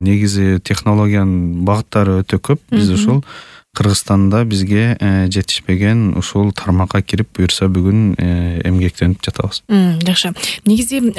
негизи технологиянын багыттары өтө көп. Биз ушул Кыргызстанда бизге жетишпеген ушул тармакка кирип, буюрса бүгүн эмгектенип жатабыз. Жакшы. Негизи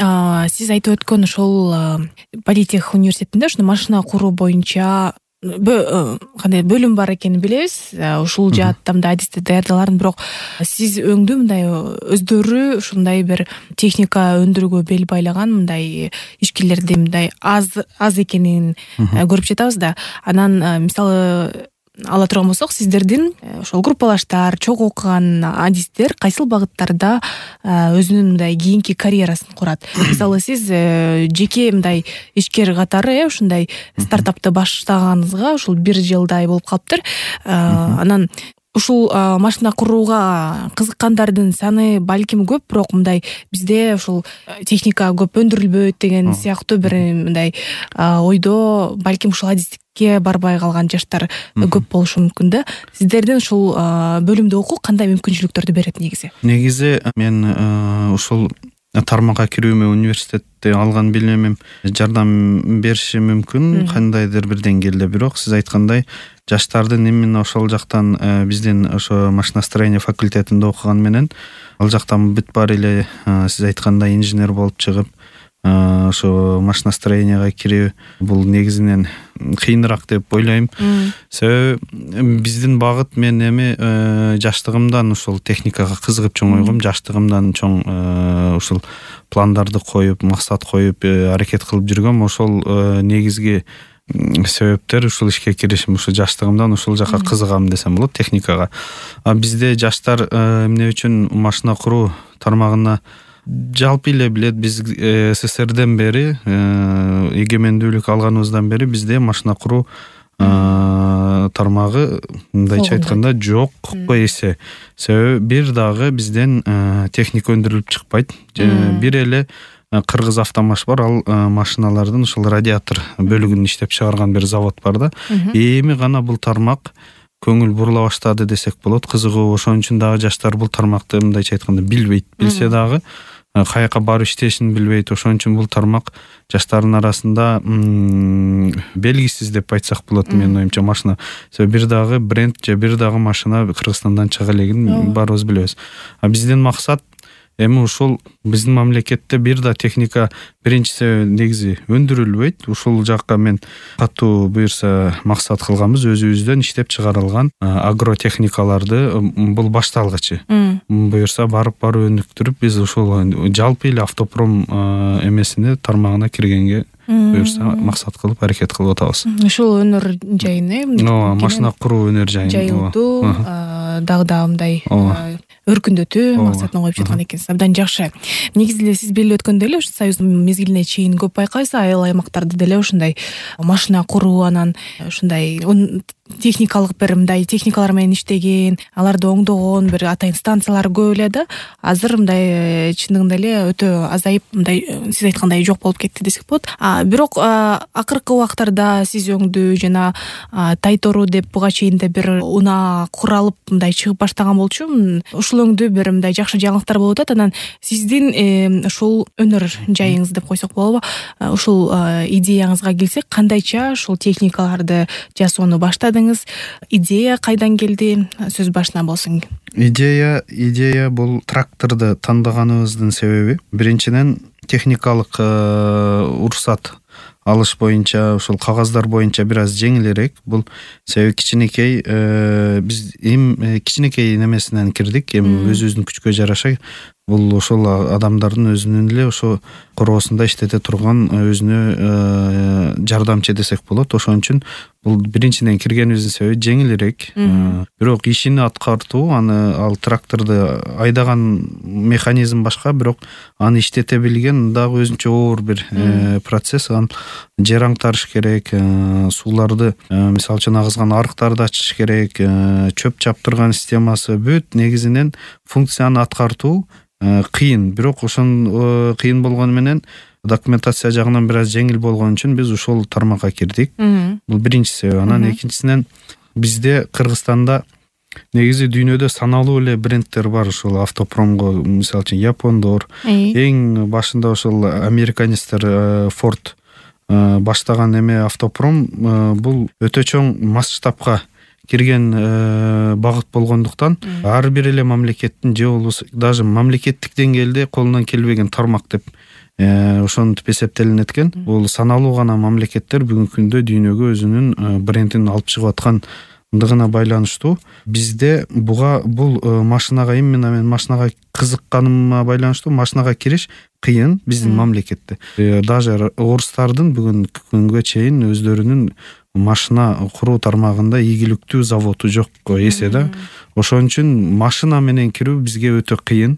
сиз айтып өткөн ошол Политех университетинде ушул машина куруу боюнча кандай бөлүм бар экенин билебиз. Ушул жаатта мындай адисти даярдаларын, бирок сиз өңдүү мындай өздөрү ушундай бир техника өндүрүүгө бел байлаган мындай ишкерлерди мындай аз экенин көрүп жатабыз да. Анан мисалы ала турган болсок, сиздердин ошол группалаштар, чогуу окуган адистер кайсыл багыттарда өзүнүн мындай кийинки карьерасын курат? Мисалы сиз жеке мындай ишкер катары ушундай стартапты баштаганыңызга ушул 1 жылдай болуп калыптыр. Анан ушул машина курууга кызыккандардын саны балким көп, бирок мындай бизде ушул техника көп өндүрүлбөйт деген сыяктуу бир мындай ойдо балким ушул адистикке барбай калган жаштар көп болушу мүмкүн да. Сиздердин ушул бөлүмдө окуу кандай мүмкүнчүлүктөрдү берет негизи? Негизи мен ушул тармакка кирүүмө университетте алган билимим жардам бериши мүмкүн кандайдыр бир деңгээлде, бирок сиз айткандай жаштардын именно ошол жактан биздин ошо машиностроение факультетинде окуган менен ал жактан бүт баары эле сиз айткандай инженер болуп чыгып ошо машиностроенияга кирүү бул негизинен кыйыныраак деп ойлойм. Себеби биздин багыт, мен жаштыгымдан ушул техникага кызыгып чоңойгом, жаштыгымдан чоң ушул пландарды коюп, максат коюп аракет кылып жүргөм. Ошол негизги себептер ушул ишке киришим, ушул жаштыгымдан ушул жака кызыгам десем болот, техникага. Бизде жаштар эмне үчүн машина куруу тармагына жалпы эле билет, биз СССРден бери, эгемендүүлүк алганыбыздан бери бизде машина куруу тармагы мындайча айтканда жок эсе. Себеби бир дагы бизден техника өндүрүлүп чыкпайт. Бир эле Кыргыз автомаш бар, ал машиналардын ушул радиатор бөлүгүн иштеп чыгарган бир завод бар да. Эми гана бул тармак көңүл бурула баштады десек болот. Кызыгуу, ошон үчүн дагы жаштар бул тармакты мындайча айтканда билбейт. Билсе дагы каяка барып иштешин билбейт. Ошон үчүн бул тармак жаштардын арасында белгисиз деп айтсак болот, менин оюмча, машина. Себеби бир дагы бренд же бир дагы машина Кыргызстандан чыга элегин баарыбыз билебиз. Биздин максат эми ушул биздин мамлекетте бир да техника биринчиси негизи өндүрүлбөйт. Ушул жакка мен катуу буюрса максат кылганбыз, өзүбүздөн иштеп чыгарылган агротехникаларды бул башталгычы. Буюрса барып өнүктүрүп, биз ушул жалпы эле автопром эмесине тармагына киргенге буюрса максат кылып аракет кылып атабыз. Ушул өнөр жайын, машина куруу өнөр жайын жайылтуу, дагы мындай өркүндөтүү максатына коюп жаткан экенсиз. Абдан жакшы. Негизи эле сиз белгилеп өткөндөй эле ушу союздун мезгилине чейин көп байкайбыз, айыл аймактарда деле ушундай машина куруу, анан ушундай техникалык бир мындай техникалар менен иштеген, аларды оңдогон бир атайын станциялар көп эле да. Азыр мындай чындыгында эле өтө азайып, мындай сиз айткандай жок болуп кетти десек болот. Бирок акыркы убактарда сиз өңдүү жана Тайтору деп буга чейин да бир унаа куралып мындай чыгып баштаган болчу. Ушул өңдүү бир мындай жакшы жаңылыктар болуп атат. Анан сиздин ушул өнөр жайыңыз деп койсок болобу? Ушул идеяңызга келсек, кандайча ушул техникаларды жасоону баштадыңыз? Идея кайдан келди? Сөз башына болсун. Идея бул тракторду тандаганыбыздын себеби биринчиден техникалык уруксат алыш боюнча, ушул кагаздар боюнча бир аз жеңилирээк. Бул себеби кичинекей биз кичинекей немесинен кирдик. Өзүбүздүн күчкө жараша бул ошол адамдардын өзүнүн эле ошо короосунда иштете турган өзүнө жардамчы десек болот. Ошон үчүн бул биринчиден киргенибиздин себеби жеңилирээк. Бирок ишини аткартуу, ал тракторду айдаган механизм башка, бирок аны иштете билген дагы өзүнчө оор бир процесс. Жер аңтарыш керек, сууларды мисалы үчүн агызган арыктарды ачыш керек, чөп чаптырган системасы, бүт негизинен функцияны аткартуу кыйын. Бирок ошон кыйын болгону менен документация жагынан бир аз жеңил болгон үчүн биз ушул тармакка кирдик. Бул биринчи себеби. Анан экинчисинен бизде Кыргызстанда негизи дүйнөдө саналуу эле брендтер бар ушул автопромго. Мисалы үчүн япондор, эң башында ошол американецтер Ford баштаган эме автопром бул өтө чоң масштабка кирген багыт болгондуктан ар бир эле мамлекеттин же болбосо даже мамлекеттик деңгээлде колунан келбеген тармак деп ошентип эсептелинет экен. Бул саналуу гана мамлекеттер бүгүнкү күндө дүйнөгө өзүнүн брендин алып чыгып аткандыгына байланыштуу. Бизде бул машинага именно мен машинага кызыкканыма байланыштуу машинага кириш кыйын биздин мамлекетте. Даже орустардын бүгүнкү күнгө чейин өздөрүнүн машина куруу тармагында ийгиликтүү заводу жок эсе да. Ошон үчүн машина менен кирүү бизге өтө кыйын.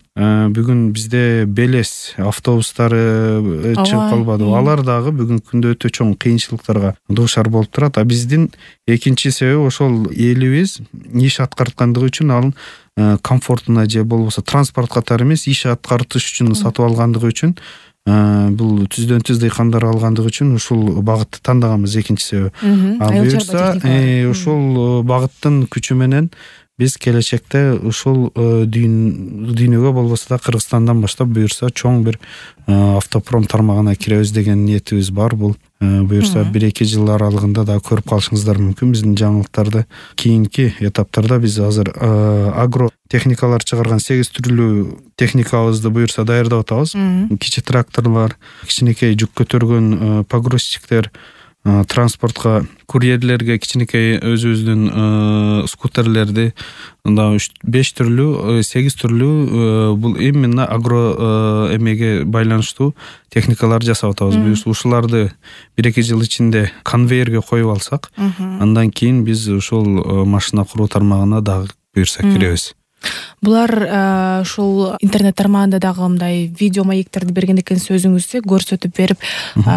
Бүгүн бизде Белес автобустары чыгып калбадыбы? Алар дагы бүгүнкү күндө өтө чоң кыйынчылыктарга дуушар болуп турат. Биздин экинчи себеби ошол элибиз иш аткарткандыгы үчүн ал комфортуна же болбосо транспорт катары эмес иш аткартыш үчүн сатып алгандыгы үчүн бул түздөн түз дыйкандар алгандыгы үчүн ушул багытты тандаганбыз экинчи себеби. Буюрса ушул багыттын күчү менен биз келечекте ушул дүйнөгө болбосо да Кыргызстандан баштап буюрса чоң бир автопром тармагына киребиз деген ниетибиз бар. Бул буюрса 1-2 жыл аралыгында да көрүп калышыңыздар мүмкүн биздин жаңылыктарды. Кийинки этаптарда биз азыр агро техникалар чыгарган 8 түрлүү техникабызды буюрса даярдап атабыз. Кичи тракторлор, кичинекей жүк көтөргөн погрузчиктер, транспортко курьерлерге кичинекей өзүбүздүн скутерлерди, мында 5 түрлүү, 8 түрлүү бул именно агро эмеге байланыштуу техникалар жасап атабыз. Ушуларды 1-2 жыл ичинде конвейерге коюп алсак, андан кийин биз ушул машина куруу тармагына дагы буюрса киребиз. Булар ушул интернет тармагында дагы мындай видео маектерди берген экенсиз өзүңүзчө көрсөтүп берип,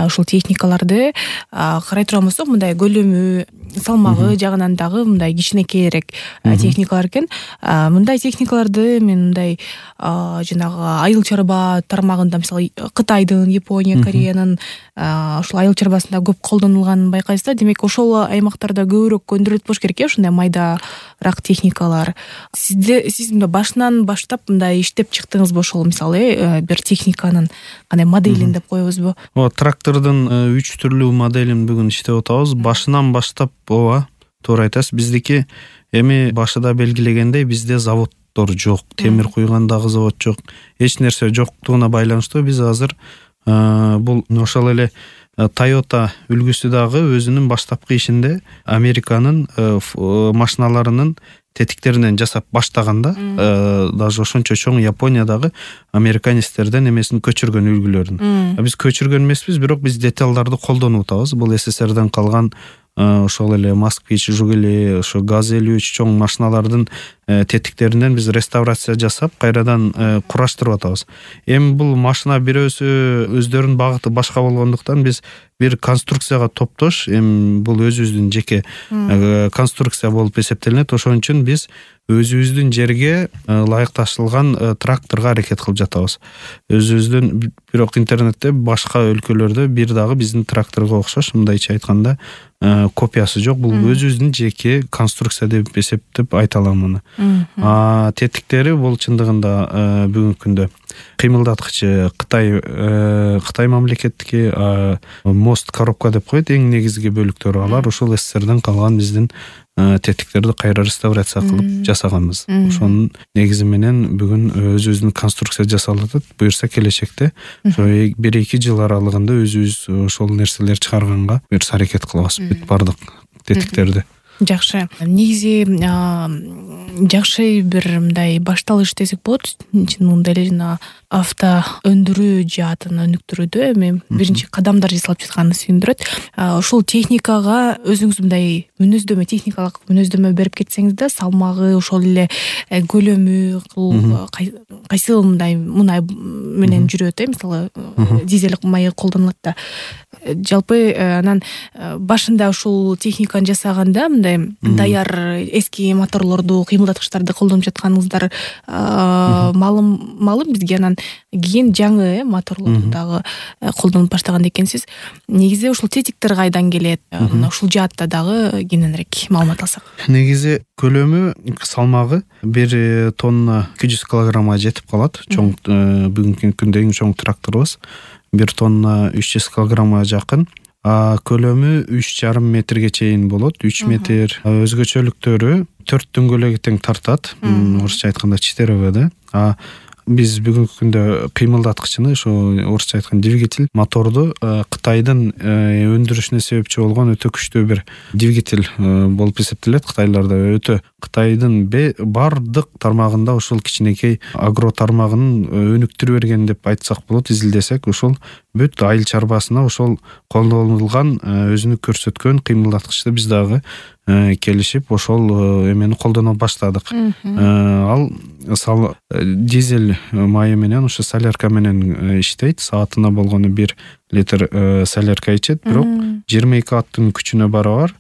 ушул техникаларды карай турган болсок, мындай көлөмү, салмагы жагынан дагы мындай кичинекейирээк техникалар экен. Мындай техникаларды мен мындай жанагы айыл чарба тармагында, мисалы Кытайдын, Япония, Кореянын ушул айыл чарбасында көп колдонулганын байкайсыз да. Демек ошол аймактарда көбүрөөк өндүрүлөт болуш керек ушундай майдараак техникалар. Сиз мындай башынан баштап мындай иштеп чыктыңызбы ошол, мисалы бир техниканын кандай моделин деп коебузбу? Трактордун 3 түрлүү моделин бүгүн иштеп атабыз. Башынан баштап туура айтасыз. Биздики эми башыда белгилегендей бизде заводдор жок, темир куйган дагы завод жок. Эч нерсе жоктугуна байланыштуу биз азыр бул ошол эле Toyota үлгүсү дагы өзүнүн баштапкы ишинде Американын машиналарынын тетиктеринен жасап баштаганда, даже ошончо чоң Япониядагы американецтерден эмесин көчүргөн үлгүлөрүн. Биз көчүргөн эмеспиз, бирок биз деталдарды колдонуп атабыз. Бул СССРден калган ошол эле Москвич, Жигули, ошо ГАЗ-53 чоң машиналардын тетиктеринен биз реставрация жасап, кайрадан кураштырып атабыз. Эми бул машина бирөөсү өздөрүнүн багыты башка болгондуктан биз бир конструкцияга топтош, эми бул өзүбүздүн жеке конструкция болуп эсептелинет. Ошон үчүн биз өзүбүздүн жерге ылайыкташылган тракторго аракет кылып жатабыз. Өзүбүздүн, бирок интернетте башка өлкөлөрдө бир дагы биздин тракторго окшош, мындайча айтканда, копиясы жок. Бул өзүбүздүн жеке конструкция деп эсептеп айта алам муну. Тетиктери бул чындыгында бүгүнкү күндө кыймылдаткычы Кытай мамлекеттики, мост коробка деп коет, эң негизги бөлүктөрү алар. Ошол СССРден калган биздин тетиктерди кайра реставрация кылып жасаганбыз. Ошонун негизи менен бүгүн өзүбүздүн конструкция жасалып атат. Буюрса келечекте ошо 1-2 жыл аралыгында өзүбүз ошол нерселер чыгарганга буюрса аракет кылабыз. Бүт бардык тетиктерди. Жакшы. Негизи жакшы бир мындай башталыш десек болот. Чынында эле жана авто өндүрүү жаатын өнүктүрүүдө эми биринчи кадамдар жасалып жатканы сүйүндүрөт. Ушул техникага өзүңүз мындай мүнөздөмө, техникалык мүнөздөмө берип кетсеңиз да, салмагы, ошол эле көлөмү, кайсы мындай мунай менен жүрөт, мисалы дизель майы колдонулат да. Жалпы анан башында ушул техниканы жасаганда мындай даяр эски моторлорду, кыймылдаткычтарды колдонуп жатканыңыздар маалым бизге. Анан кийин жаңы моторлорду дагы колдонуп баштаган экенсиз. Негизи ушул тетиктер кайдан келет? Ушул жаатта дагы кененирээк маалымат алсак. Негизи көлөмү, салмагы 1 тонна 200 килограммга жетип калат. Чоң бүгүнкү күндө эң чоң тракторубуз 1 тонна 300 килограммга жакын. көлөмү 3,5 метрге чейин болот. 3 метр. Өзгөчөлүктөрү 4 дөңгөлөгү тең тартат. Орусча айтканда 4 да. Биз бүгүнкү күндө кыймылдаткычыны, ошо орусча айтканда двигатель моторду Кытайдын өндүрүшүнө себепчи болгон өтө күчтүү бир двигатель болуп эсептелет. Кытайларда өтө Кытайдын бардык тармагында ошол кичинекей агро тармагынын өнүктүрүп берген деп айтсак болот. Изилдесек ошол бүт айыл чарбасына ошол колдонулган өзүнү көрсөткөн кыймылдаткычты биз дагы келишип ошол эмени колдоно баштадык. Ал дизель майы менен, ошо солярка менен иштейт. Саатына болгону 1 литр солярка ичет, бирок 22 аттын күчүнө барабар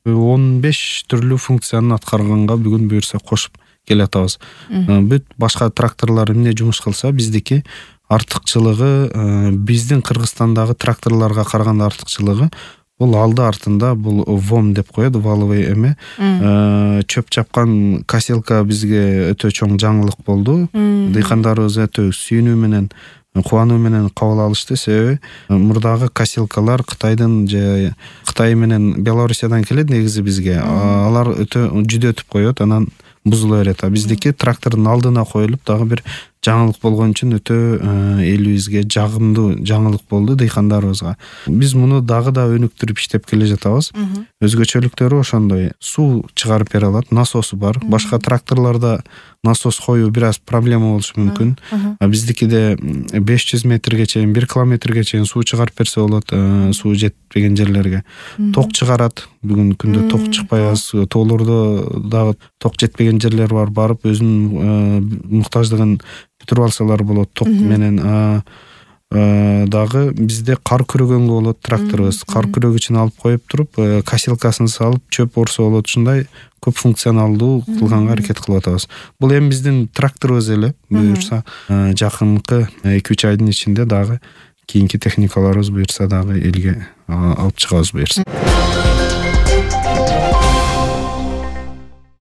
15 түрлүү функцияны аткарганга бүгүн буюрса кошуп келатабыз. Бүт башка тракторлор эмне жумуш кылса, биздики артыкчылыгы, биздин Кыргызстандагы тракторлорго караганда артыкчылыгы бул алды артында бул ВОМ деп коет, валовый эме. Чөп чапкан косилка бизге өтө чоң жаңылык болду. Дыйкандарыбыз өтө сүйүнүү менен, кубануу менен кабыл алышты. Себеби мурдагы косилкалар Кытайдын же Кытай менен Белоруссиядан келет негизи бизге. Алар өтө жүдөтүп коет, анан бузула берет. Биздики трактордун алдына коюлуп дагы бир жаңылык болгон үчүн өтө элибизге жагымдуу жаңылык болду дыйкандарыбызга. Биз муну дагы да өнүктүрүп иштеп келе жатабыз. Өзгөчөлүктөрү ошондой. Суу чыгарып бере алат, насосу бар. Башка тракторлордо насос коюу бир аз проблема болушу мүмкүн. Биздикиде 500 метрге чейин, 1 километрге чейин суу чыгарып берсе болот, суу жетпеген жерлерге. Ток чыгарат. Бүгүнкү күндө ток чыкпай аз, тоолордо дагы ток жетпеген жерлер бар. Барып өзүнүн муктаждыгын бүтүрүп алсалар болот ток менен. Дагы бизде кар күрөгөнгө болот тракторубуз. Кар күрөгүчүн алып коюп туруп, косилкасын салып чөп орсо болот. Ушундай көп функционалдуу кылганга аракет кылып атабыз. Бул эми биздин тракторубуз эле. Буюрса жакынкы 2-3 айдын ичинде дагы кийинки техникаларыбыз буюрса дагы элге алып чыгабыз буюрса.